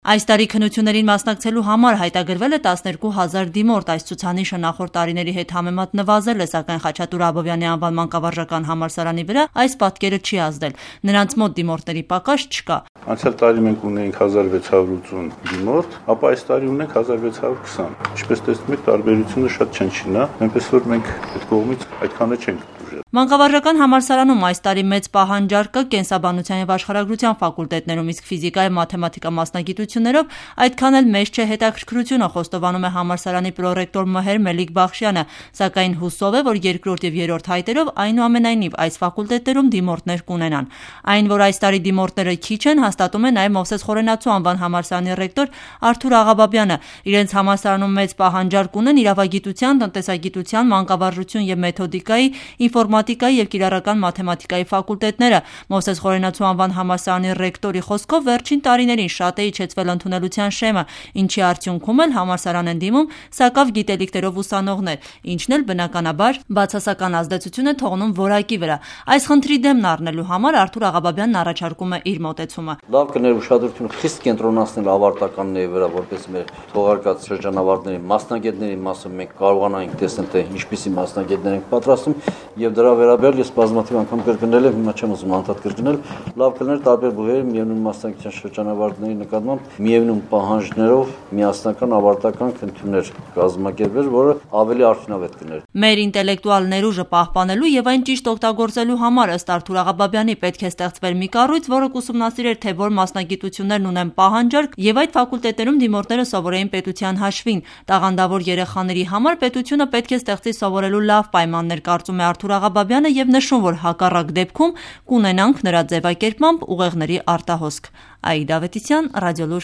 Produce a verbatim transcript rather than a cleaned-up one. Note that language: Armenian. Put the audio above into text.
Այս տարի քննություններին մասնակցելու համար հայտագրվել է տասներկու հազար դիմորդ, այս ցուցանիշը նախորդ տարիների հետ համեմատ նվազել է, սակայն Խաչատուր Աբովյանի անվան մանկավարժական համալսարանի վրա այս պատկերը չի ազդել, նրանց մոտ դիմորդների պակաս չկա։ Անցյալ տարի մենք ունեինք հազար վեց հարյուր ութուն դիմորդ, ապա այս տարի ունենք հազար վեց հարյուր քսան։ Ինչպես տեսնում եք, տարբերությունը շատ չնչին է, այնպես որ մենք այդ կողմից այդքանը չենք դժվար։ Մանկավարժական համալսարանում այս տարի մեծ պահանջարկ կա կենսաբանության եւ աշխարհագրության ֆակուլտետներում, իսկ ֆիզիկայի մաթեմատիկա մասնագիտություններով այդքան էլ մեծ չէ հետաքրքրությունը, խոստովանում է համալսարանի պրոռեկտոր Մհեր Մելիք Բախշյանը, սակայն հուսով է, որ երկրորդ եւ երրորդ հայտերով այնուամենայնիվ այս ֆակուլտետերում դիմորդներ կունենան։ Այն, որ այս տարի դիմորդները քիչ են, հաստատում է նաեւ Մովսես Խորենացու անվան համալսարանի ռեկտոր Արթուր Աղաբաբյանը։ Իրենց համալսարանում մեծ պահանջարկ ունեն իրավագիտության, տնտեսագիտության, մանկավարժություն եւ մեթոդիկայի, ինֆորմատիկայի եւ կիրառական մաթեմատիկայի ֆակուլտետները։ Մովսես Խորենացու անվան համալսարանի ռեկտորի խոսքով վերջին տարիներին շատ է իջեցվել ընդունելության շեմը, ինչի արդյունքում էլ համալսարան են դիմում սակավ գիտելիքներով ուսանողներ, ինչն էլ բնականաբար բացասական ազդեցություն է թողնում որակի վրա։ Այս խնդրի դեմն առնելու համար Արթուր Աղաբաբյանն առաջարկում է իր մոտեցումը։ Լավ կներ ուշադրությունը խիստ կենտրոնացնել ավարտականների վրա, որպես մեր թողարկած շրջանավարտների մասնագետների մասը մենք կարողանանք տեսնել, թե ինչպիսի մասնագետներ ենք պատրաստում, եւ դրա վերաբերյալ ես բազմաթիվ անգամ կրկնել եմ, հիմա չեմ ուզում անդադ կրկնել, լավ կներ տարբեր բուհերի միևնույն մասնագիտության շրջանավարտների նկատմամբ միևնույն պահանջներով միասնական ավարտական քննություններ կազմակերպել, որը ավելի արդյունավետ կներ։ Մեր ինտելեկտուալ ներուժը պահպանելու եւ այն ճիշտ օգտագործելու համար ըստ Արթուր Աղաբաբյանի պետք է ստեղծվեր մի կառույց, որը կուսումնասիրեր, թե որ մասնագիտություններն ունեն պահանջարկ եւ այդ ֆակուլտետերում դիմորդները սովորեին պետության հաշվին։ Տաղանդավոր երեխաների համար պետությունը պետք է ստեղծի սովորելու լավ պայմաններ, կարծում է Արթուր Աղաբաբյանը եւ նշում, որ հակառակ դեպքում կունենանք նրա ձևակերպմամբ ուղեղների արտահոսք։ Աիդա Ավետիսյան, Ռադիոլուր